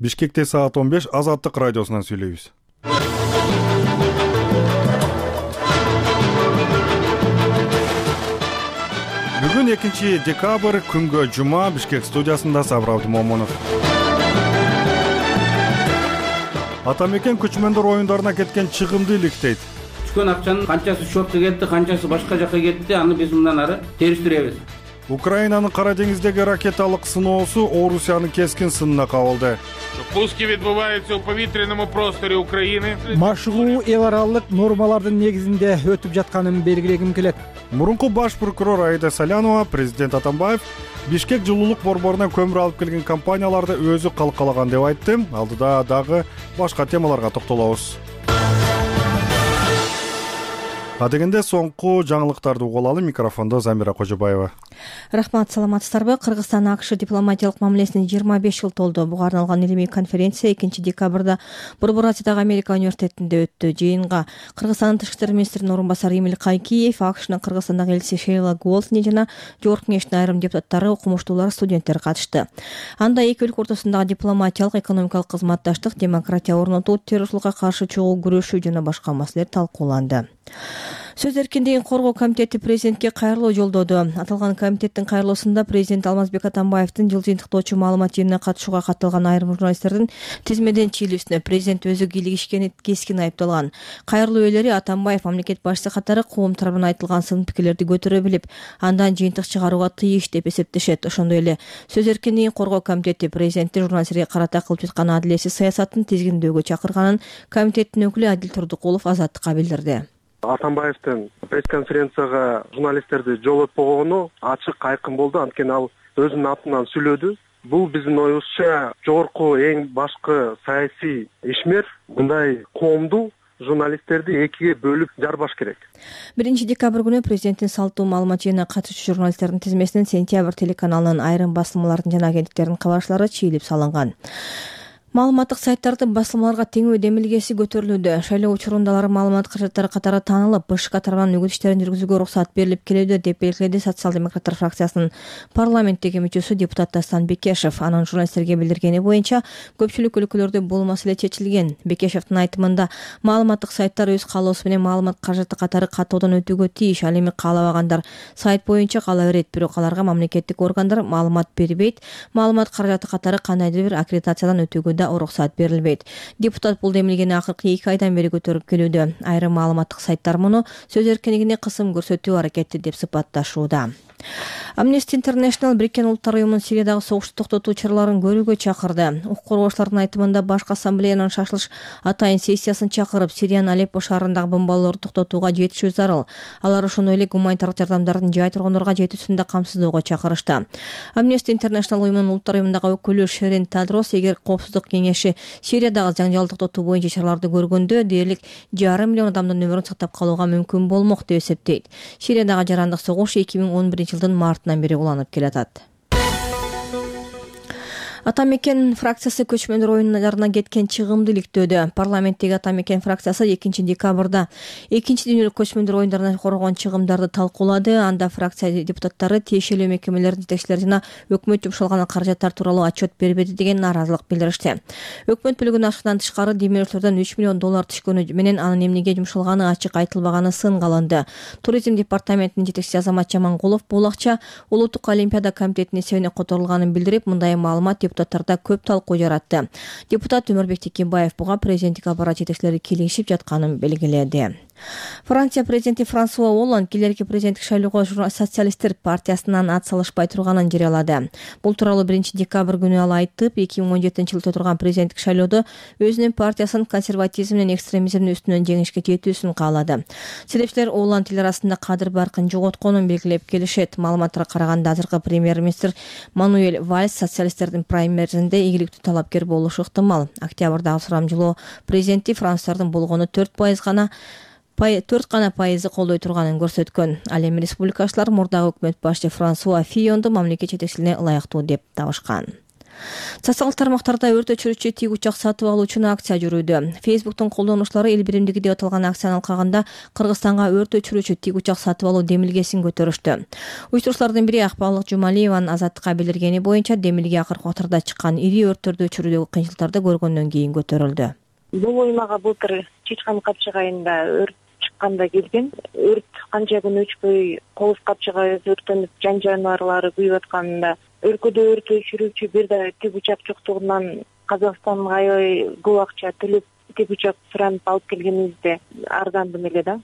Бишкекте саат 15 Азаттык радиосунан сүйлөйбүз. Бүгүн 2 декабрь күнгө жума. Бишкек студиясында Сабыр Абдымомунов. Ата мекен көчмөндөр оюндарына кеткен чыгымды иликтейт. Түшкөн акчанын канчасы шортто кетти, канчасы башка жакка кетти, аны биз мындан ары териштиребиз. Украинанын Кара деңиздеги ракеталык сыноосу Орусиянын кескин сынына кабылды. Пуски відбуваються у повітряному просторі України. Машыгуу эл аралык нормалардын негизинде өтүп жатканын белгилегим келет. Мурунку баш прокурор Аида Салянова президент Атамбаев Бишкек жылуулук борборунан көмүр алып келген компанияларды өзү калкалаган деп айтты. Алдыда дагы башка темаларга токтолобуз. Адегенде соңку жаңылыктарды угулалы. Микрофондо Замира Кожобаева. Рахмат, саламатсыздарбы? Кыргызстан АКШ дипломатиялык мамилесине 25 жыл толду. Буга арналган илимий конференция 2 декабрда Борбор Азиядагы Америка университетинде өттү. Жыйынга Кыргызстандын тышкы иштер министринин орун басары Эмиль Кайкиев, АКШнын Кыргызстандагы элчиси Шейла Голдни жана Жогорку Кеңештин айрым депутаттары, окумуштуулар, студенттер катышты. Анда эки өлкө ортосундагы дипломатиялык, экономикалык кызматташтык, демократия орнотуу, террорчулукка каршы чогуу күрөшүү жана башка маселелер талкууланды. Сөз эркиндигин коргоо комитети президентке кайрылуу жолдоду. Аталган комитеттин кайрылуусунда президент Алмазбек Атамбаевдин жыл жыйынтыктоочу маалымат жыйынына катышууга катталган айрым журналисттердин тизмеден чыйлүүсүнө президент өзү кийлигишкени кескин айыпталган. Кайрылуу ээлери Атамбаев мамлекет башчысы катары коом тарабынан айтылган сын пикирлерди көтөрө билип, андан жыйынтык чыгарууга тийиш деп эсептешет. Ошондой эле сөз эркиндигин коргоо комитети президентти журналисттерге карата кылып жаткан адилетсиз саясатын тизгиндөөгө чакырганын комитеттин өкүлү Адил Турдукулов Азаттыкка билдирди. Атамбаевдин пресс-конференцияга журналисттерди жолотпогону ачык айкын болду. Анткени ал өзүнүн атынан сүйлөдү. Бул биздин оюбузча жогорку эң башкы саясий ишмер мындай коомду журналисттерди экиге бөлүп жарбаш керек. 1 декабрь күнү президенттин салттуу маалымат жыйынына катышуучу журналисттердин тизмесинен Сентябрь телеканалынын айрым басылмалардын жана агенттиктердин кабарчылары чыйылып салынган. Маалыматтык сайттардын басылмаларга теңөө демилгеси көтөрүлүүдө. Шайлоо учурундагы маалымат каражаттары катары таанылып, БШК тарабынан үгүт иштерин жүргүзүүгө уруксат берилип келүүдө деп белгиледи социал-демократтар фракциясынын парламенттеги мүчөсү депутат Дастан Бекешев. Анын журналисттерге билдиргени боюнча көпчүлүк өлкөлөрдө бул маселе чечилген. Бекешевдин айтымында маалыматтык сайттар өз каалоосу менен маалымат каражаты катары каттоодон өтүүгө тийиш. Ал эми каалабагандар сайт боюнча кала берет, бирок аларга мамлекеттик органдар маалымат бербейт. Маалымат каражаты катары кандайдыр бир аккредитациядан өтүүгө уруксат берилбейт. Депутат бул демилгени акыркы 2 айдан бери көтөрүп келүүдө. Айрым маалыматтык сайттар муну сөз эркиндигине кысым көрсөтүү аракети деп сыпатташууда. Amnesty International Бириккен Улуттар уюмунун Сириядагы согушту токтотуу чараларын көрүүгө чакырды. Укук коргоочулардын айтымында башкы ассамблеянын шашылыш атайын сессиясын чакырып, Сириянын Алеппо шаарындагы бомбалоолорду токтотууга жетишүү зарыл. Алар ошондой эле гуманитардык жардамдардын жай тургундорго жетүүсүн да камсыздоого чакырышты. Amnesty International уюмунун Улуттар уюмундагы өкүлү Шерин Тадрос эгер Коопсуздук кеңеши Сириядагы жаңжалды токтотуу боюнча чараларды көргөндө дээрлик 1,5 миллион адамдын өмүрүн сактап калууга мүмкүн болмок деп эсептейт. Сириядагы жарандык согуш 2011 жылдын мартынан бери уланып келатат. Ата мекен фракциясы көчмөндөр оюндарына кеткен чыгымды иликтөөдө. Парламенттеги Ата мекен фракциясы 2 декабрда 2 дүйнөлүк көчмөндөр оюндарына коргон чыгымдарды талкуулады. Анда фракция депутаттары тиешелүү мекемелердин жетекчилери жана өкмөт жумшалган каражаттар тууралуу отчет бербеди деген нааразылык билдиришти. Өкмөт бөлүгүнүн ашыгынан тышкары демөөрчүлөрдөн 3 миллион доллар түшкөнү менен анын эмнеге жумшалганы ачык айтылбаганы сынга алынды. Туризм департаментинин жетекчиси Азамат Жамангулов бул акча Улуттук олимпиада комитетинин эсебине которулганын билдирип, мындай маалымат депутаттарда көп талкуу жаратты. Депутат Өмүрбек Текебаев буга президенттик аппарат жетекчилери кийлигишип жатканын белгиледи. Франция президенти Франсуа Олланд келерки президенттик шайлоого социалисттер партиясынан ат салышпай турганын жарыялады. Бул тууралуу 1 декабрь күнү ал айтып, 2017 жылда турган президенттик шайлоодо өзүнүн партиясынын консерватизм менен экстремизмдин үстүнөн жеңишке жетүүсүн каалады. Себепчилер Олланд эл арасында кадыр баркын жоготконун белгилеп келишет. Маалыматтарга караганда азыркы премьер-министр Мануэль Вальс социалисттердин праймеризинде ийгиликтүү талапкер болушу ыктымал. Октябрдагы сурамжылоо президенти француздардын болгону 4% гана колдой турганын көрсөткөн. Ал эми республикачылар мурдагы өкмөт башчы Франсуа Фийонду мамлекет жетекчилигине ылайыктуу деп табышкан. Социалдык тармактарда өрт өчүрүүчү тик учак сатып алуу үчүн акция жүрүүдө. Facebook'тун колдонуучулары эл биримдиги деп аталган акцияны алкаганда Кыргызстанга өрт өчүрүүчү тик учак сатып алуу демилгесин көтөрүштү. Уюштуруучулардын бири Акбалык Жумалиеванын Азаттыкка билдиргени боюнча демилге акыркы убактарда чыккан ири өрттөрдү өчүрүүдөгү кыйынчылыктарды көргөндөн кийин көтөрүлдү. Бул уюмага былтыр Чычкан Капчык айында өрт чыкканда келген. Өрт канча күн өчпөй Кооз Капчыгы өрттөнүп, жан жаныбарлары күйүп атканында өлкөдө өрт өчүрүүчү бир да тик учак жоктугунан Казакстанга аябай көп акча төлөп тик учак суранып алып келгенибизде ардандым эле да.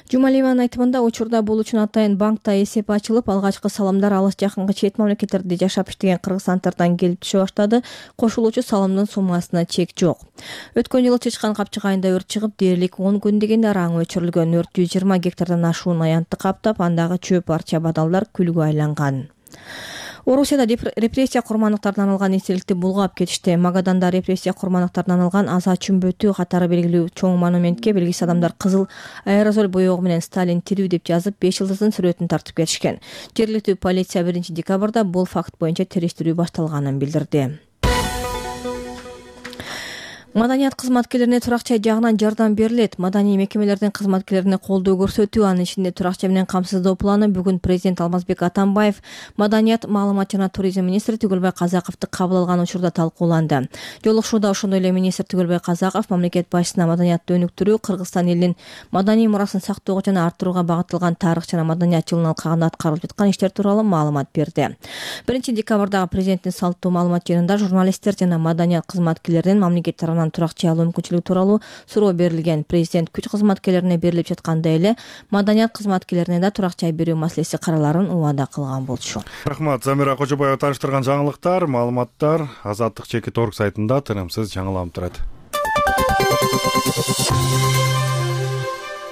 Жумалиеванын айтымында учурда бул үчүн атайын банкта эсеп ачылып, алгачкы салымдар алыс жакынкы чет мамлекеттерде жашап иштеген кыргызстандыктардан келип түшө баштады. Кошулуучу салымдын суммасына чек жок. Өткөн жылы Чычкан Капчык айында өрт чыгып, дээрлик 10 күн дегенде араң өчүрүлгөн. Өрт 120 гектардан ашуун аянтты каптап, андагы чөп, арча, бадалдар күлгө айланган. Орусияда репрессия курмандыктарынан алган эстеликти булгап кетишти. Магаданда репрессия курмандыктарынан алган аза чүмбөтү катары белгилүү чоң монументке белгисиз адамдар кызыл аэрозоль боёгу менен «Сталин тирүү» деп жазып, 5 жылдыздын сүрөтүн тартып кетишкен. Жергиликтүү полиция 1 декабрда бул факт боюнча териштирүү башталганын билдирди. Маданият кызматкерлерине туракча жагынан жардам берилет. Маданий мекемелердин кызматкерлерине колдоо көрсөтүү, анын ичинде туракча менен камсыздоо планы бүгүн президент Алмазбек Атамбаев Маданият, маалымат жана туризм министри Түгөлбай Казаковду кабыл алган учурда талкууланды. Жолугушууда ошондой эле министр Түгөлбай Казаков мамлекет башчысына маданиятты өнүктүрүү, Кыргызстан элинин маданий мурасын сактоого жана арттырууга багытталган тарых жана маданият жылын алкагында аткарылып жаткан иштер тууралуу маалымат берди. 1 декабрдагы президенттин салттуу маалымат жыйынында журналисттер жана маданият кызматкерлеринин мамлекет тарабынан туракча алуу мүмкүнчүлүгү тууралуу суроо берилген. Президент күч кызматкерлерине берилип жаткандай эле маданият кызматкерлерине да туракча берүү маселеси караларын убада кылган болчу. Рахмат. Замира Кожобаева таныштырган жаңылыктар, маалыматтар Азаттык.org сайтында тынымсыз жаңыланып турат.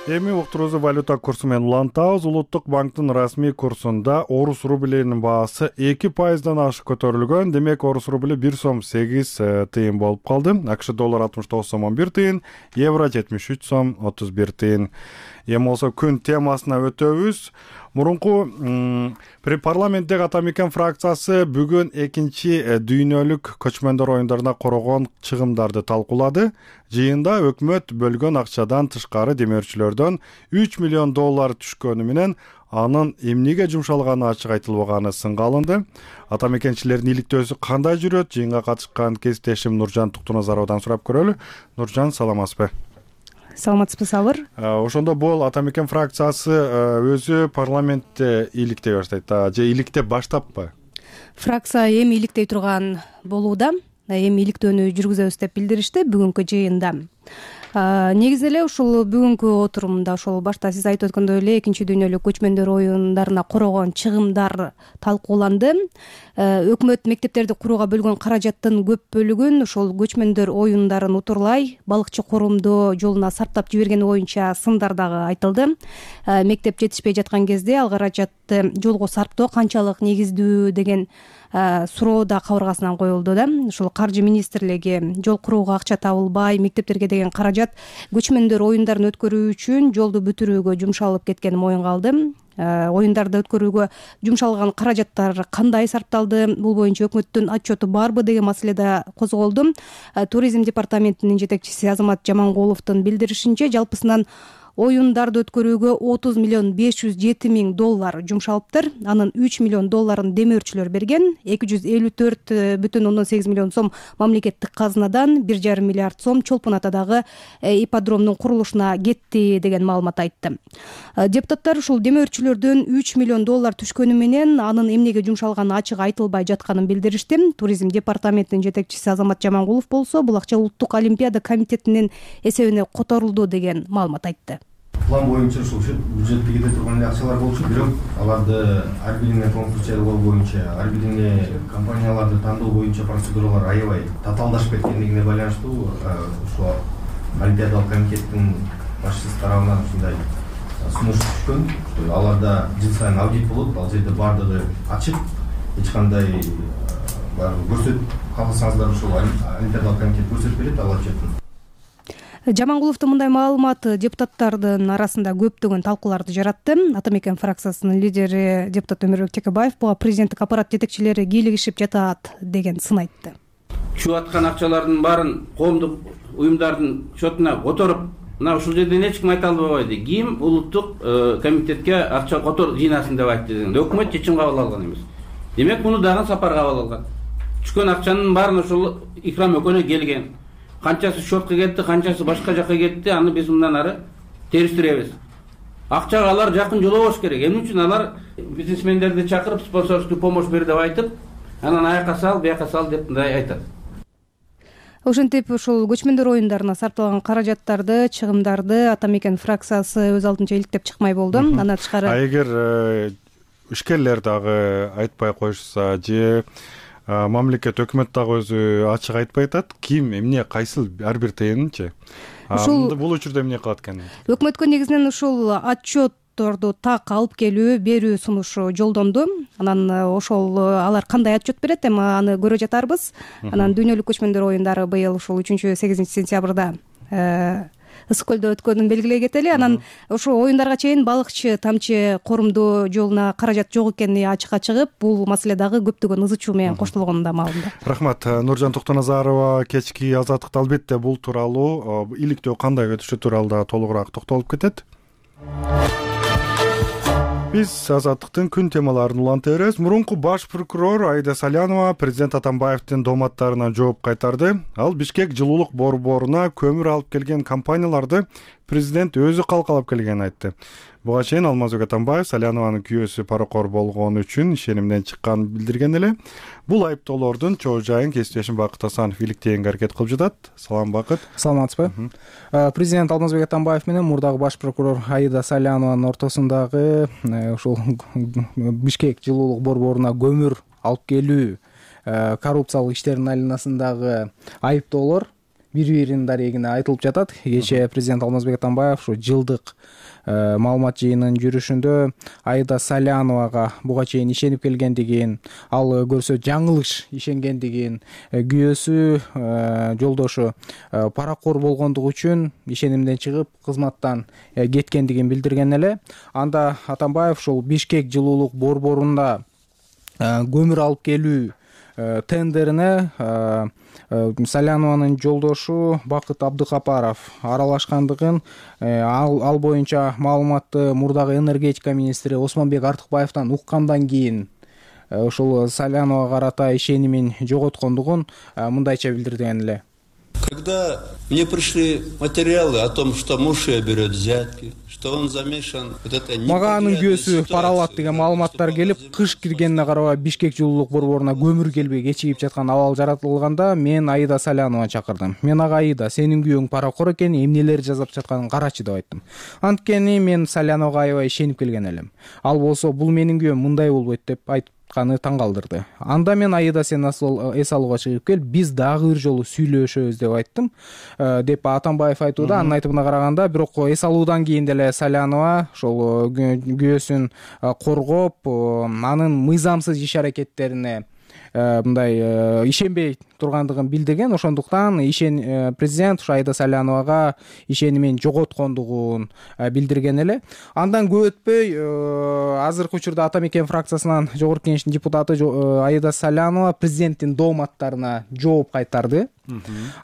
Эми уктуруубузду валюта курсу менен улантабыз. Улуттук банктын расмий курсунда орус рублинин баасы 2%дан ашык көтөрүлгөн. Демек, орус рубли 1 сом 8 тыйын болуп калды. АКШ доллар 69 сом 11 тыйын, евро 73 сом 31 тыйын. Эми болсо күн темасына өтөбүз. Мурунку парламенттеги Атамекен фракциясы бүгүн экинчи дүйнөлүк көчмөндөр оюндарына корогон чыгымдарды талкуулады. Жыйында өкмөт бөлгөн акчадан тышкары демөөрчүлөрдөн 3 миллион доллар түшкөнү менен анын эмнеге жумшалганы ачык айтылбаганы сынга алынды. Атамекенчилердин иликтөөсү кандай жүрөт? Жыйынга катышкан кесиптешим Нуржан Туктуназаровдон сурап көрөлү. Нуржан, саламатсызбы? Саламатсызбы, Сабыр? Ошондо бул Атамекен фракциясы өзү парламентте иликтей баштайт же иликтеп баштаппы? Фракция эми иликтей турган болууда. Эми иликтөөнү жүргүзөбүз деп билдиришти бүгүнкү жыйында. Негизи эле ушул бүгүнкү отурумда ошол башта сиз айтып өткөндөй эле экинчи дүйнөлүк көчмөндөр оюндарына корогон чыгымдар талкууланды. Өкмөт мектептерди курууга бөлгөн каражаттын көп бөлүгүн ошол көчмөндөр оюндарын утурлай балыкчы корумдоо жолуна сарптап жибергени боюнча сындар дагы айтылды. Мектеп жетишпей жаткан кезде ал каражатты жолго сарптоо канчалык негиздүү деген суроо да кабыргасынан коюлду да. Ушул каржы министрлиги жол курууга акча табылбай, мектептерге деген каражат көчмөндөр оюндарын өткөрүү үчүн жолду бүтүрүүгө жумшалып кеткени моюнга алды. Оюндарды өткөрүүгө жумшалган каражаттар кандай сарпталды, бул боюнча өкмөттүн отчету барбы деген маселе да козголду. Туризм департаментинин жетекчиси Азамат Жамангуловдун билдиришинче, жалпысынан оюндарды өткөрүүгө 30 миллион 507 миң доллар жумшалыптыр. Анын 3 миллион долларын демөөрчүлөр берген. 254,8 миллион сом мамлекеттик казынадан, 1,5 миллиард сом Чолпон Атадагы ипподромдун курулушуна кетти деген маалымат айтты. Депутаттар ушул демөөрчүлөрдөн 3 миллион доллар түшкөнү менен анын эмнеге жумшалганы ачык айтылбай жатканын билдиришти. Туризм департаментинин жетекчиси Азамат Жамангулов болсо, бул акча Улуттук олимпиада комитетинин эсебине которулду деген маалымат айтты. План боюнча ушул бюджетке кете турган эле акчалар болчу, бирок аларды ар бирине конкурс жарыялоо боюнча, ар бирине компанияларды тандоо боюнча процедуралар аябай татаалдашып кеткендигине байланыштуу ушул олимпиадалык комитеттин башчысы тарабынан ушундай сунуш түшкөн. Аларда жыл сайын аудит болот, ал жерде бардыгы ачык, эч кандай көрсөтүп калсаңыздар ушул олимпиадалык комитет көрсөтүп берет ал отчеттин. Жамангуловдун мындай маалыматы депутаттардын арасында көптөгөн талкууларды жаратты. Ата мекен фракциясынын лидери депутат Өмүрбек Текебаев буга президенттик аппарат жетекчилери кийлигишип жатат деген сын айтты. Чуп аткан акчалардын баарын коомдук уюмдардын счетуна которуп, мына ушул жерден эч ким айта албайбайды. Ким улуттук комитетке акча котор жыйнасын деп айтты дегенде өкмөт чечим кабыл алган эмес. Демек муну дагы сапар кабыл алган. Түшкөн акчанын баарын ошол Икрам экөөнө келген. Канчасы счетко кетти, канчасы башка жака кетти, аны биз мындан ары териштиребиз. Акчага алар жакын жолобош керек. Эмне үчүн алар бизнесмендерди чакырып спонсорский помощь бер деп айтып, анан аяка сал, бияка сал деп мындай айтат. Ошентип ушул көчмөндөр оюндарына сарпталган каражаттарды, чыгымдарды Ата мекен фракциясы өз алдынча иликтеп чыкмай болду. Андан тышкары эгер ишкерлер дагы айтпай коюшса же мамлекет өкмөт дагы өзү ачык айтпай атат, ким эмне кайсыл ар бир тыйынынчы бул учурда эмне кылат экен? Өкмөткө негизинен ушул отчетторду так алып келүү, берүү сунушу жолдонду. Анан ошол алар кандай отчет берет, эми аны көрө жатарбыз. Анан дүйнөлүк көчмөндөр оюндары быйыл ушул 3-8 сентябрда Ысык көлдө өткөнүн белгилей кетели. Анан ошол оюндарга чейин балыкчы тамчы корумдоо жолуна каражат жок экени ачыкка чыгып, бул маселе дагы көптөгөн ызы чуу менен коштолгону да маалымда. Рахмат. Нуржан Токтоназарова кечки Азаттыкта албетте бул тууралуу иликтөө кандай өтүшү тууралуу да толугураак токтолуп кетет. Биз Азаттыктын күн темаларын улантабыз. Мурунку баш прокурор Аида Салянова президент Атамбаевдин дооматтарына жооп кайтарды. Ал Бишкек жылуулук борборуна көмүр алып келген компанияларды президент өзү калкалап келгенин айтты. Буга чейин Алмазбек Атамбаев Салянованын күйөөсү паракор болгону үчүн ишенимден чыкканын билдирген эле. Бул айыптоолордун чоо жайын кесиптешим Бакыт Асанов иликтээнге аракет кылып жатат. Салам, Бакыт. Саламатсызбы? Президент Алмазбек Атамбаев менен мурдагы баш прокурор Аида Салянованын ортосундагы ушул Бишкек жылуулук борборуна көмүр алып келүү коррупциялык иштердин айланасындагы айыптоолор бири-биринин дарегине айтылып жатат. Кечээ президент Алмазбек Атамбаев ушу жылдык маалымат жыйынынын жүрүшүндө Аида Саляновага буга чейин ишенип келгендигин, ал көрсө жаңылыш ишенгендигин, күйөөсү жолдошу паракор болгондугу үчүн ишенимден чыгып кызматтан кеткендигин билдирген эле. Анда Атамбаев ушул Бишкек жылуулук борборунда көмүр алып келүү тендерине Салянованын жолдошу Бакыт Абдыкапаров аралашкандыгын, ал боюнча маалыматты мурдагы энергетика министри Осмонбек Артыкбаевден уккандан кийин ушул Саляновага карата ишенимин жоготкондугун мындайча билдирген эле. Когда мне пришли материалы о том, что муж ее берет взятки, что он замешан вот это мага анын күйөөсү пара алат деген маалыматтар келип, кыш киргенине карабай Бишкек жылуулук борборуна көмүр келбей кечигип жаткан абал жаратылганда мен Аида Салянованы чакырдым. Мен ага Аида, сенин күйөөң паракор экен, эмнелер жасап жатканын карачы деп айттым. Анткени мен Саляновага аябай ишенип келген элем. Ал болсо бул менин күйөөм мындай болбойт деп айтканы таң калтырды. Анда мен Аида, сен эс алууга чыгып кел, биз дагы бир жолу сүйлөшөбүз деп айттым, деп Атамбаев айтууда. Анын айтымына караганда, бирок эс алуудан кийин деле Салянова ошол күйөөсүн коргоп, анын мыйзамсыз иш аракеттерине мындай ишенбей тургандыгын билдирген. Ошондуктан президент Аида Саляновага ишенимин жоготкондугун билдирген эле. Андан көп өтпөй азыркы учурда Ата мекен фракциясынан жогорку кеңештин депутаты Аида Салянова президенттин дооматтарына жооп кайтарды.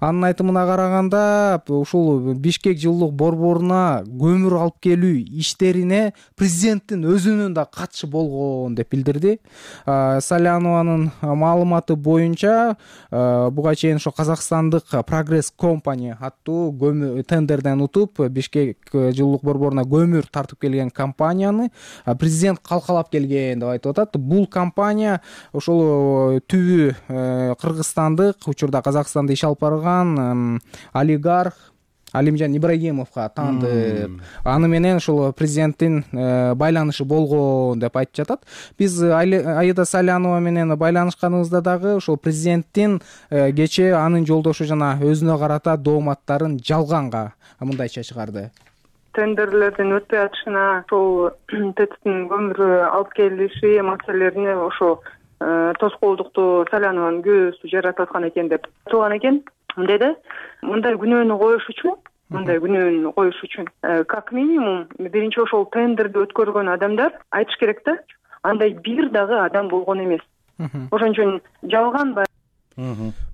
Анын айтымына караганда, ушул Бишкек жылуулук борборуна көмүр алып келүү иштерине президенттин өзүнүн да катышы болгон деп билдирди. Салянованын маалыматы боюнча, буга чейин ошо Казакстандык Прогресс Company аттуу тендерден утуп Бишкек жылуулук борборуна көмүр тартып келген компанияны президент калкалап келген деп айтып атат. Бул компания ошол түбү кыргызстандык, учурда Казакстанда иш алып барган олигарх Алимжан Ибрагимовго таандык. Аны менен ушул президенттин байланышы болгон деп айтып жатат. Биз Аида Салянова менен байланышканыбызда дагы ушул президенттин кечээ анын жолдошу жана өзүнө карата дооматтарын жалганга мындайча чыгарды. Тендерлердин өтпөй атышына, ошол ТЭЦтин көмүр алып келиши маселелерине ошо тоскоолдукту Салянованын күйөөсү жаратып аткан экен деп турган экен. Деди, мындай күнөөнү коюш үчүн мындай күнөөнү коюш үчүн. Как минимум биринчи ошол тендерди өткөргөн адамдар айтыш керек да, андай бир дагы адам болгон эмес. Ошон үчүн жалган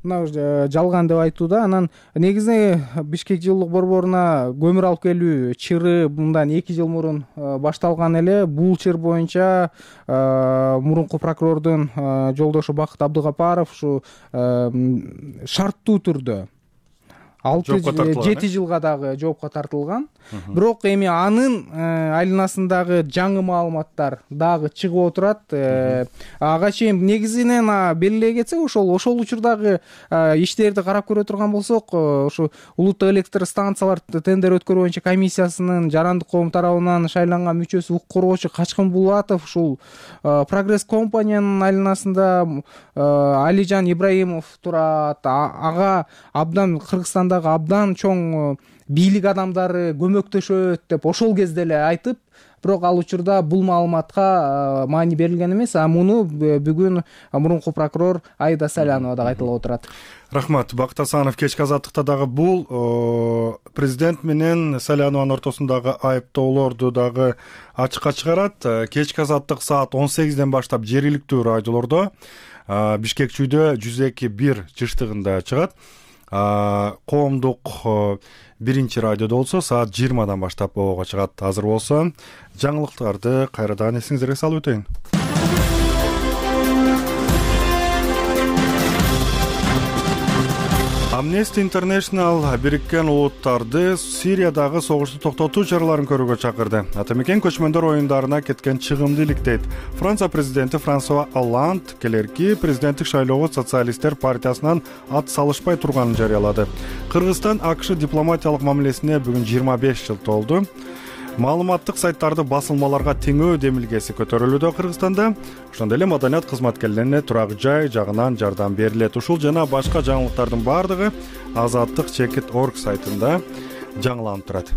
мына жалган деп айтууда. Анан негизи Бишкек жылуулук борборуна көмүр алып келүү чыры мындан 2 жыл мурун башталган эле. Бул чыр боюнча мурунку прокурордун жолдошу Бакыт Абдыгапаров ушу шарттуу түрдө 6-7 жылга дагы жоопко тартылган. Бирок эми анын айланасындагы жаңы маалыматтар дагы чыгып отурат. Ага чейин негизинен белгилей кетсек, ошол учурдагы иштерди карап көрө турган болсок, ушу улуттук электр станциялар тендер өткөрүү боюнча комиссиясынын Жарандык коом тарабынан шайланган мүчөсү укук коргоочу Качкын Булатов ушул Прогресс компаниянын айланасында Алижан Ибраимов турат. Ага абдан Кыргызстандагы абдан чоң бийлик адамдары көмөктөшөт деп ошол кезде эле айтып, бирок ал учурда бул маалыматка маани берилген эмес. Муну бүгүн мурунку прокурор Аида Салянова дагы айтылып отурат. Рахмат. Бакыт Асанов кечки азаттыкта дагы бул президент менен Салянованын ортосундагы айыптоолорду дагы ачыкка чыгарат. Кечки азаттык саат 18ден баштап жергиликтүү радиолордо Бишкек чүйдө 102.1 жыштыгында чыгат. Коомдук биринчи радиодо болсо саат 20дан баштап обого чыгат. Азыр болсо жаңылыктарды кайрадан эсиңизерге салып өтөйүн. Amnesty International Бириккен Улуттарды Сириядагы согушту токтотуу чараларын көрүүгө чакырды. Атамекен көчмөндөр оюндарына кеткен чыгымды иликтейт. Франция президенти Франсуа Олланд келерки президенттик шайлоого социалисттер партиясынан ат салышпай турганын жарыялады. Кыргызстан АКШ дипломатиялык мамилесине бүгүн 25 жыл толду. Маалыматтык сайттарды басылмаларга теңөө демилгеси көтөрүлүүдө Кыргызстанда. Ошондой эле маданият кызматкерлерине турак жай жагынан жардам берилет. Ушул жана башка жаңылыктардын бардыгы Азаттык.org сайтында жаңыланып турат.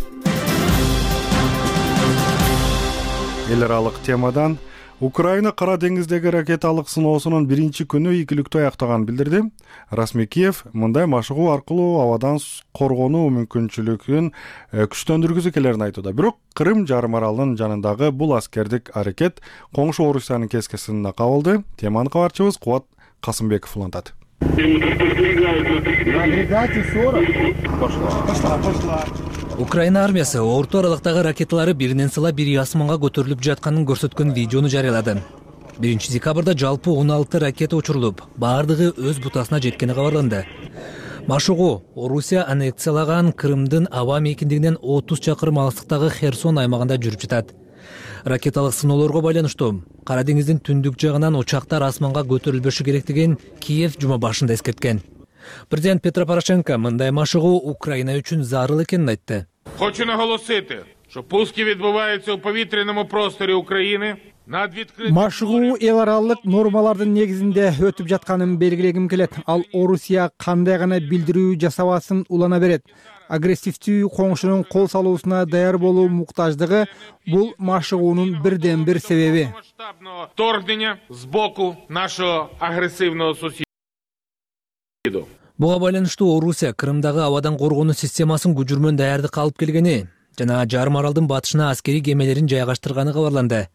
Эл аралык темадан Украина Кара деңиздеги ракеталык сыноосунун биринчи күнү ийгиликтүү аяктаганын билдирди. Расмий Киев мындай машыгуу аркылуу абадан коргонуу мүмкүнчүлүгүн күчтөндүргүсү келерин айтууда. Бирок Крым жарым аралынын жанындагы бул аскердик аракет коңшу Орусиянын кескесине кабылды. Теманы кабарчыбыз Кубат Касымбеков улантат. Украина армиясы орто аралыктагы ракеталары биринен сыла бири асманга көтөрүлүп жатканын көрсөткөн видеону жарыялады. 1-декабрда жалпы 16 ракета учурулуп, баардыгы өз бутасына жеткени кабарланды. Машыгуу Орусия аннексиялаган Крымдын аба мейкиндигинен 30 чакырым алыстыктагы Херсон аймагында жүрүп жатат. Ракеталык сыноолорго байланыштуу Кара деңиздин түндүк жагынан учактар асманга көтөрүлбөшү керектигин Киев жума башында эскерткен. Президент Петро Порошенко мындай машыгуу Украина үчүн зарыл экенин айтты. Хочу наголосити, що пуски відбуваються у повітряному просторі України. Машыгуу эл аралык нормалардын негизинде өтүп жатканын белгилегим келет. Ал Орусия кандай гана билдирүү жасабасын улана берет. Агрессивдүү коңшунун кол салуусуна даяр болуу муктаждыгы бул машыгуунун бирден бир себеби. Вторгнення з боку нашого агресивного сусіда. Буга байланыштуу Орусия Крымдагы абадан коргонуу системасын күжүрмөн даярдыкка алып келгени жана жарым аралдын батышына аскерий кемелерин жайгаштырганы кабарланды.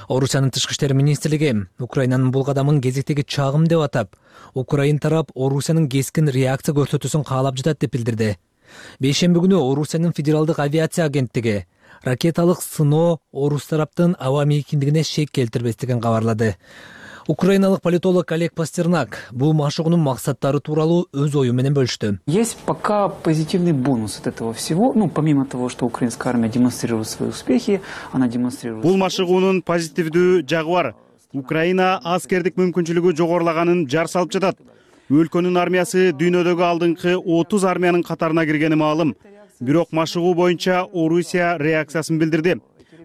Орусиянын тышкы иштер министрлиги Украинанын бул кадамын кезектеги чагым деп атап, Украин тарап Орусиянын кескин реакция көрсөтүүсүн каалап жатат деп билдирди. Бейшемби күнү Орусиянын федералдык авиация агенттиги ракеталык сыноо Орус тараптын аба мейкиндигине шек келтирбестигин кабарлады. Украиналык политолог Олег Пастернак бул машыгуунун максаттары тууралуу өз ою менен бөлүштү. Есть пока позитивный бонус от этого всего, помимо того, что украинская армия демонстрирует свои успехи, она демонстрирует. Бул машыгуунун позитивдүү жагы бар. Украина аскердик мүмкүнчүлүгү жогорулаганын жар салып жатат. Өлкөнүн армиясы дүйнөдөгү алдыңкы 30 армиянын катарына киргени маалым. Бирок машыгуу боюнча Орусия реакциясын билдирди.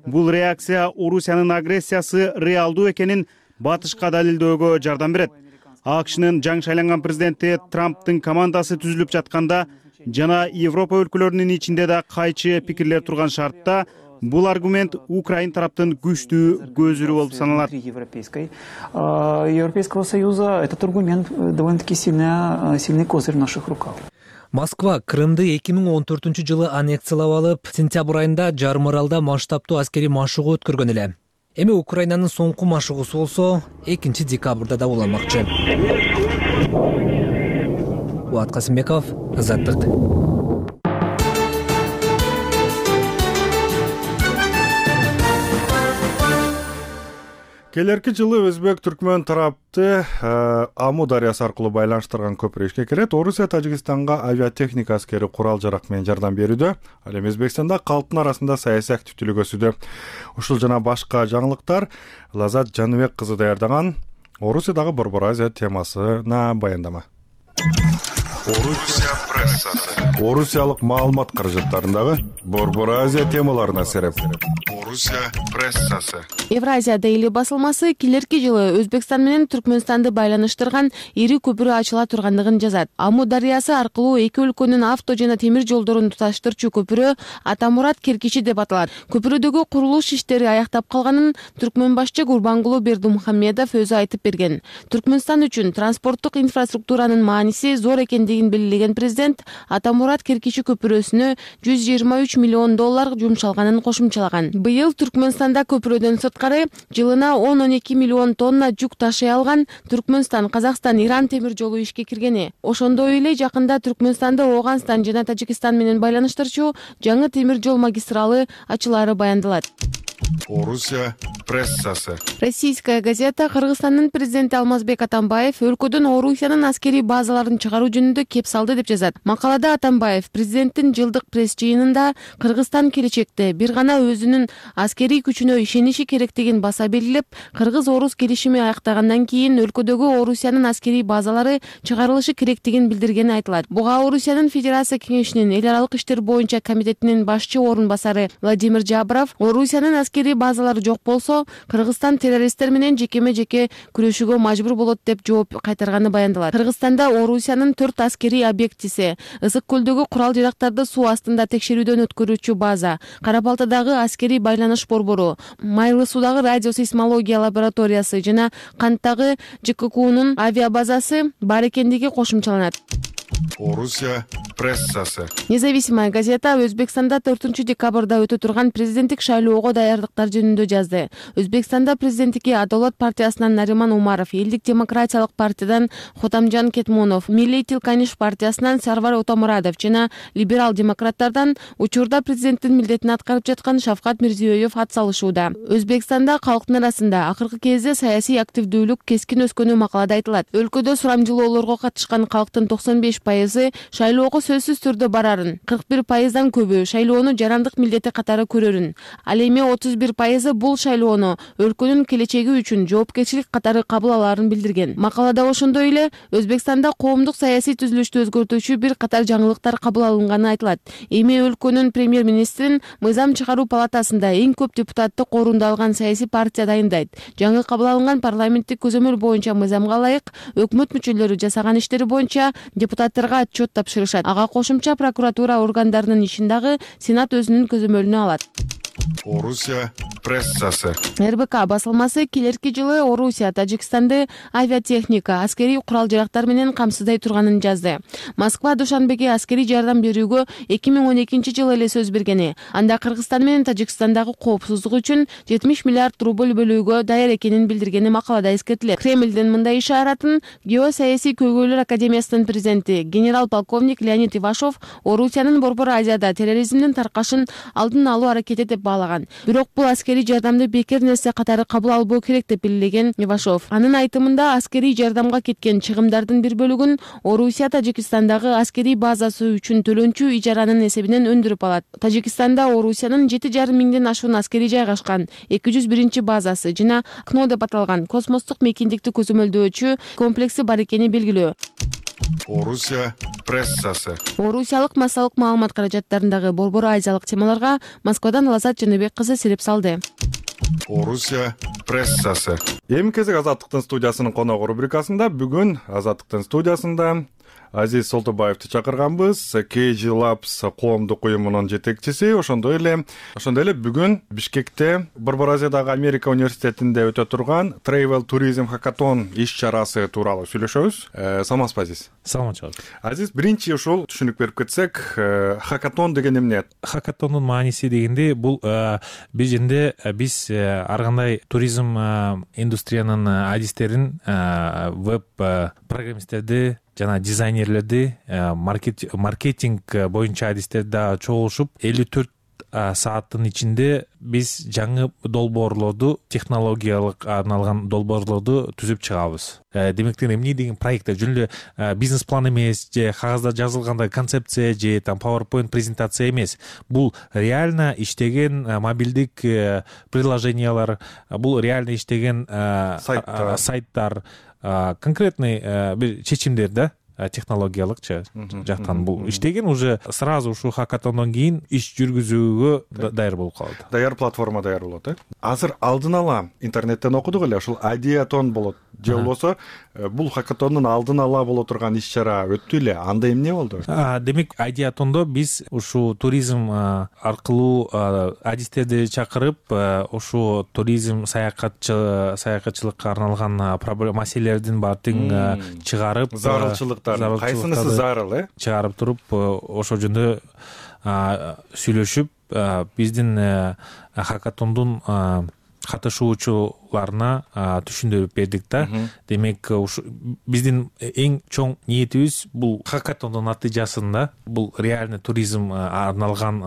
Бул реакция Орусиянын агрессиясы реалдуу экенин батышка далилдөөгө жардам берет. АКШнын жаңы шайланган президенти Трамптын командасы түзүлүп жатканда жана Европа өлкөлөрүнүн ичинде да кайчы пикирлер турган шартта бул аргумент Украин тараптын күчтүү көзүрү болуп саналат. Европейского союза этот аргумент довольно-таки сильный козырь в наших руках. Москва Крымды 2014-жылы аннексиялап алып, сентябрь айында Жарым аралда масштабтуу аскерий машыгуу өткөргөн эле. Эми Украинанын соңку машыгуусу болсо 2 декабрда да уланмакчы. Уат Касымбеков, Азаттык. Келерки жылы өзбек-түркмөн тарапты Аму дарыясы аркылуу байланыштырган көпүрө ишке кирет. Орусия Тажикстанга авиатехника аскери курал-жарак менен жардам берүүдө. Ал эми Өзбекстанда калктын арасында саясий активдүүлүк өсүүдө. Ушул жана башка жаңылыктар Лазат Жаныбек кызы даярдаган Орусиядагы Борбор Азия темасына баяндама. Орусия прессасы. Орусиялык маалымат каражаттарындагы Борбор Азия темаларына сереп. Орусия прессасы. Евразия Дейли басылмасы келерки жылы Өзбекстан менен Түркмөнстанды байланыштырган ири көпүрө ачыла тургандыгын жазат. Аму дарыясы аркылуу эки өлкөнүн авто жана темир жолдорун туташтырчу көпүрө Атамурат Керкичи деп аталат. Көпүрөдөгү курулуш иштери аяктап калганын Түркмөн башчы Гурбангулу Бердимухамедов өзү айтып берген. Түркмөнстан үчүн транспорттук инфраструктуранын мааниси зор экендигин белгилеген президент Атамурат Керкичи көпүрөсүнө $123 миллион жумшалганын кошумчалаган. Быйыл Түркмөнстанда көпүрөдөн сырткары жылына 10-12 миллион тонна жүк ташый алган Түркмөнстан, Казакстан, Иран темир жолу ишке киргени. Ошондой эле жакында Түркмөнстанды Ооганстан жана Тажикстан менен байланыштырчу жаңы темир жол магистралы ачылары баяндалат. Орусия прессасы. Российская газета Кыргызстандын президенти Алмазбек Атамбаев өлкөдөн Орусиянын аскерий базаларын чыгаруу жөнүндө кеп салды деп жазат. Макалада Атамбаев президенттин жылдык пресс жыйынында Кыргызстан келечекте бир гана өзүнүн аскерий күчүнө ишениши керектигин баса белгилеп, Кыргыз-Орус келишими аяктагандан кийин өлкөдөгү Орусиянын аскерий базалары чыгарылышы керектигин билдиргени айтылат. Буга Орусиянын Федерация кеңешинин эл аралык иштер боюнча комитетинин башчы орун басары Владимир Жабров Орусиянын аскерий базалары жок болсо, Кыргызстан террористтер менен жеке-жеке күрөшүүгө мажбур болот деп жооп кайтарганы баяндалат. Кыргызстанда Орусиянын 4 аскерий объектиси, Ысык көлдөгү курал-жарактарды суу астында текшерүүдөн өткөрүүчү база, Кара Балтадагы аскерий байланыш борбору, Майлы суудагы радиосейсмология лабораториясы жана Канттагы ЖККунун авиабазасы бар экендиги кошумчаланат. Орусия прессасы. Независимая газета Өзбекстанда 4 декабрда өтө турган президенттик шайлоого даярдыктар жөнүндө жазды. Өзбекстанда президенттикке Адолат партиясынан Нариман Умаров, Элдик демократиялык партиядан Хотамжан Кетмунов, Милли Тилканиш партиясынан Сарвар Отомурадов жана либерал демократтардан учурда президенттин милдетин аткарып жаткан Шавкат Мирзиёев ат салышууда. Өзбекстанда калктын арасында акыркы кезде саясий активдүүлүк кескин өскөнү макалада айтылат. Өлкөдө сурамжылоолорго катышкан калктын 95% шайлоого сөзсүз түрдө барарын, 41%дан көбү шайлоону жарандык милдети катары көрөрүн. Ал эми 31% бул шайлоону өлкөнүн келечеги үчүн жоопкерчилик катары кабыл алаарын билдирген. Макалада ошондой эле Өзбекстанда коомдук саясий түзүлүштү өзгөртүүчү бир катар жаңылыктар кабыл алынганы айтылат. Эми өлкөнүн премьер-министрин мыйзам чыгаруу палатасында эң көп депутаттык орунду алган саясий партия дайындайт. Жаңы кабыл алынган парламенттик көзөмөл боюнча мыйзамга ылайык өкмөт мүчөлөрү жасаган иштери боюнча депутаттарга отчет тапшырышат. Ага кошумча прокуратура органдарынын ишин дагы Сенат өзүнүн көзөмөлүнө алат. Орусия прессасы. РБК басылмасы келерки жылы Орусия Тажикстанды авиатехника, аскерий курал-жарактар менен камсыздай турганын жазды. Москва Душанбеге аскерий жардам берүүгө 2012 жылы эле сөз бергени. Анда Кыргызстан менен Тажикстандагы коопсуздук үчүн 70 миллиард рубль бөлүүгө даяр экенин билдиргени макалада эскертилет. Кремлдин мындай ишаратын Геосаясий көйгөйлөр академиясынын президенти генерал-полковник Леонид Ивашов Орусиянын Борбор Азияда терроризмдин таркашын алдын алуу аракети деп баалаган. Бирок бул аскерий жардамды бекер нерсе катары кабыл албоо керек деп белгилеген Ивашов. Анын айтымында аскерий жардамга кеткен чыгымдардын бир бөлүгүн Орусия Тажикстандагы аскерий базасы үчүн төлөнчү ижаранын эсебинен өндүрүп алат. Тажикстанда Орусиянын 7,5 миңден ашуун аскерий жайгашкан 201 базасы жана КНО деп аталган космостук мейкиндикти көзөмөлдөөчү комплекси бар экени белгилүү. Орусия прессасы. Орусиялык массалык маалымат каражаттарындагы борбор азиялык темаларга Москвадан Лазат Жаныбек кызы сереп салды. Орусия прессасы. Эми кезек Азаттыктын студиясынын коногу рубрикасында бүгүн Азаттыктын студиясында Азиз Солтобаевди чакырганбыз. KG Labs коомдук уюмунун жетекчиси. Ошондой эле бүгүн Бишкекте Борбор Азиядагы Америка университетинде өтө турган Travel Tourism Hackathon иш-чарасы тууралуу сүйлөшөбүз. Саламатсызбы, Азиз? Саламатчы. Азиз, биринчи ушул түшүнүк берип кетсек, хакатон деген эмне? Хакатондун мааниси дегенде бул бир жерде биз ар кандай туризм индустриянын адистерин, веб программисттерди жана дизайнерлерди, маркетинг боюнча адистерди да чогулушуп 54 сааттын ичинде биз жаңы долбоорлорду, технологиялык арналган долбоорлорду түзүп чыгабыз. Демектен эмне деген проекттер жөн эле бизнес план эмес, же кагазда жазылгандай концепция же PowerPoint презентация эмес. Бул реально иштеген мобилдик приложениялар, бул реально иштеген сайттар, конкретный бир чечимдер да, технологиялыкчы жактан бул иштеген, уже сразу ушул хакатондон кийин иш жүргүзүүгө даяр болуп калат. Даяр платформа даяр болот, Азыр алдын ала интернеттен окудук эле, ушул Ideaton болот. Же болбосо бул хакатондун алдын ала боло турган иш-чара өттү эле. Анда эмне болду? Демек, Ideatoндо биз ушул туризм аркылуу адистерди чакырып, ушул туризм саякатчылыкка арналган маселелердин баардыгын чыгарып, зарылчылыктар, кайсынысы зарыл, чыгарып туруп, ошол жөнүндө сүйлөшүп, биздин хакатондун катышуучуларына түшүндүрүп бердик да. Демек, биздин эң чоң ниетибиз бул хакатондун натыйжасында бул реальный туризм арналган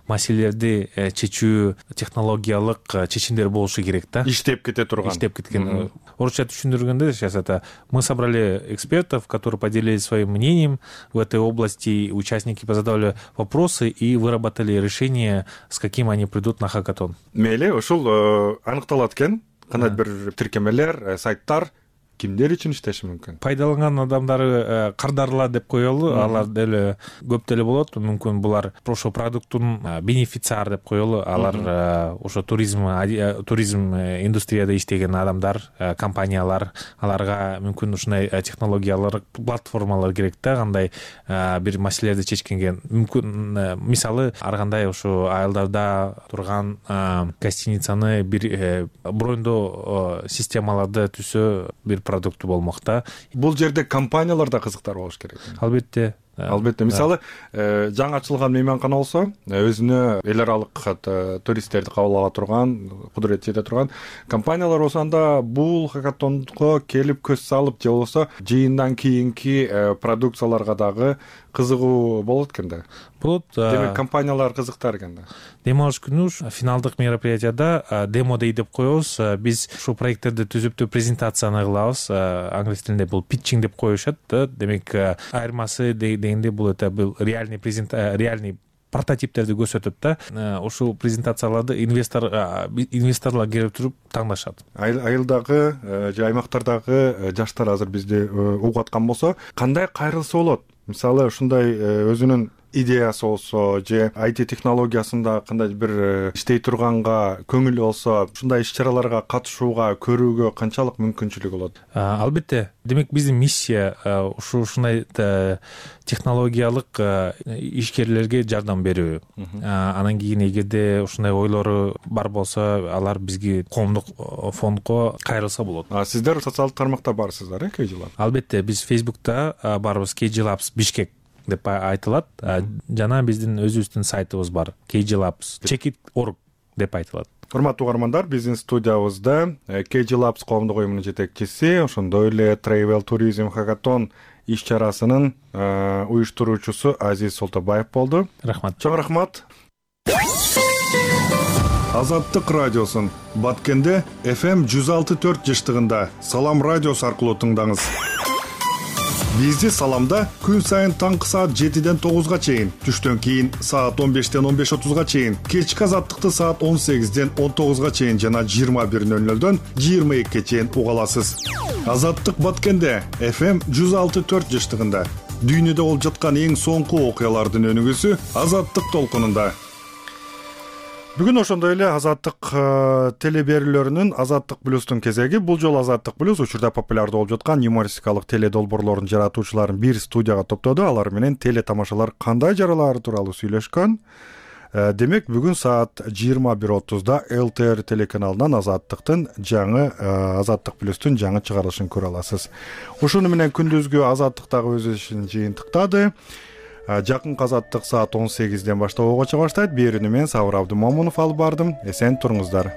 маселелерди чечүү технологиялык чечимдер болушу керек да. Иштеп кете турган. Иштеп кеткен. Орусча түшүндүргөндө сейчас это мы собрали экспертов, которые поделились своим мнением в этой области, участники позадавали вопросы и выработали решение, с каким они придут на хакатон. Мейли, ушул аныкталат экен. Кандай бир тиркемелер, сайттар кимдер үчүн иштеши мүмкүн? Пайдаланган адамдары кардарлар деп коелу, алар деле көп деле болот. Мүмкүн булар ошо продукттун бенефициар деп коелу, алар ошо туризм индустрияда иштеген адамдар, компаниялар, аларга мүмкүн ушундай технологиялар, платформалар керек да, кандай бир маселелерди чечкенге. Мүмкүн мисалы ар кандай ошо айылдарда турган гостиницаны бир брондоо системаларды түзсө бир продукту болмок да. Бул жерде компаниялар да кызыктар болуш керек. Албетте. Мисалы, жаңы ачылган мейманкана болсо, өзүнө эл аралык туристтерди кабыл ала турган, кудурет жете турган компаниялар болсо, анда бул хакатонго келип көз салып, же болбосо жыйындан кийинки продукцияларга дагы кызыгуу болот экен да. Болот. Демек, компаниялар кызыктар экен да. Дем алыш күнү финалдык мероприятияда демо дей деп коебуз. Биз ушул проекттерди түзүп презентацияны кылабыз. Англис тилинде бул питчинг деп коюшат да. Демек, айырмасы дегенде бул реальный прототиптерди көрсөтөт да. Ушул презентацияларды инвесторлор келип туруп таңдашат. Айылдагы же аймактардагы жаштар азыр бизди угуп аткан болсо, кандай кайрылса болот? Мисалы, ушундай өзүнүн идеясы болсо, же IT технологиясында кандай бир иштей турганга көңүлү болсо, ушундай иш-чараларга катышууга, көрүүгө канчалык мүмкүнчүлүгү болот? Албетте. Демек, биздин миссия ушундай технологиялык ишкерлерге жардам берүү. Анан кийин эгерде ушундай ойлору бар болсо, алар бизге коомдук фондго кайрылса болот. Сиздер социалдык тармакта барсыздар, KG Labs? Албетте, биз Facebook'та барбыз, KG Labs Бишкек деп айтылат. Жана биздин өзүбүздүн сайтыбыз бар, kglabs.org деп айтылат. Урматтуу угармандар, биздин студиябызда KG Labs коомдук уюмунун жетекчиси, ошондой эле Travel Tourism Hackathon иш-чарасынын уюштуруучусу Азиз Солтобаев болду. Рахмат. Чоң рахмат. Азаттык радиосун Баткенде FM 106.4 жыштыгында Салам радиосу аркылуу тыңдаңыз. Бизди Саламда күн сайын таңкы саат 7-ден 9-га чейин, түштөн кийин саат 15-ден 15:30-га чейин, кечки азаттыкты саат 18-ден 19-га чейин жана 21:00-дөн 22-ге чейин уга аласыз. Азаттык Баткенде FM 106.4 жыштыгында дүйнөдө болуп жаткан эң соңку окуялардын өнүгүүсү Азаттык толкунунда. Бүгүн ошондой эле Азаттык теле берүүлөрүнүн Азаттык плюстун кезеги. Бул жолу Азаттык плюс учурда популярдуу болуп жаткан юмористикалык теле долбоорлордун жаратуучуларын бир студияга топтоду. Алар менен теле тамашалар кандай жаралаары тууралуу сүйлөшкөн. Демек бүгүн саат 21:30 ЛТР телеканалынан Азаттыктын жаңы Азаттык плюстун жаңы чыгарылышын көрө аласыз. Ушуну менен күндүзгү Азаттыктагы өз ишин жыйынтыктады. Жакынкы Азаттык саат 18-ден баштап ого чыга баштайт. Берүүнү мен Сабыр Абдымомунов алып бардым. Эсен туруңуздар.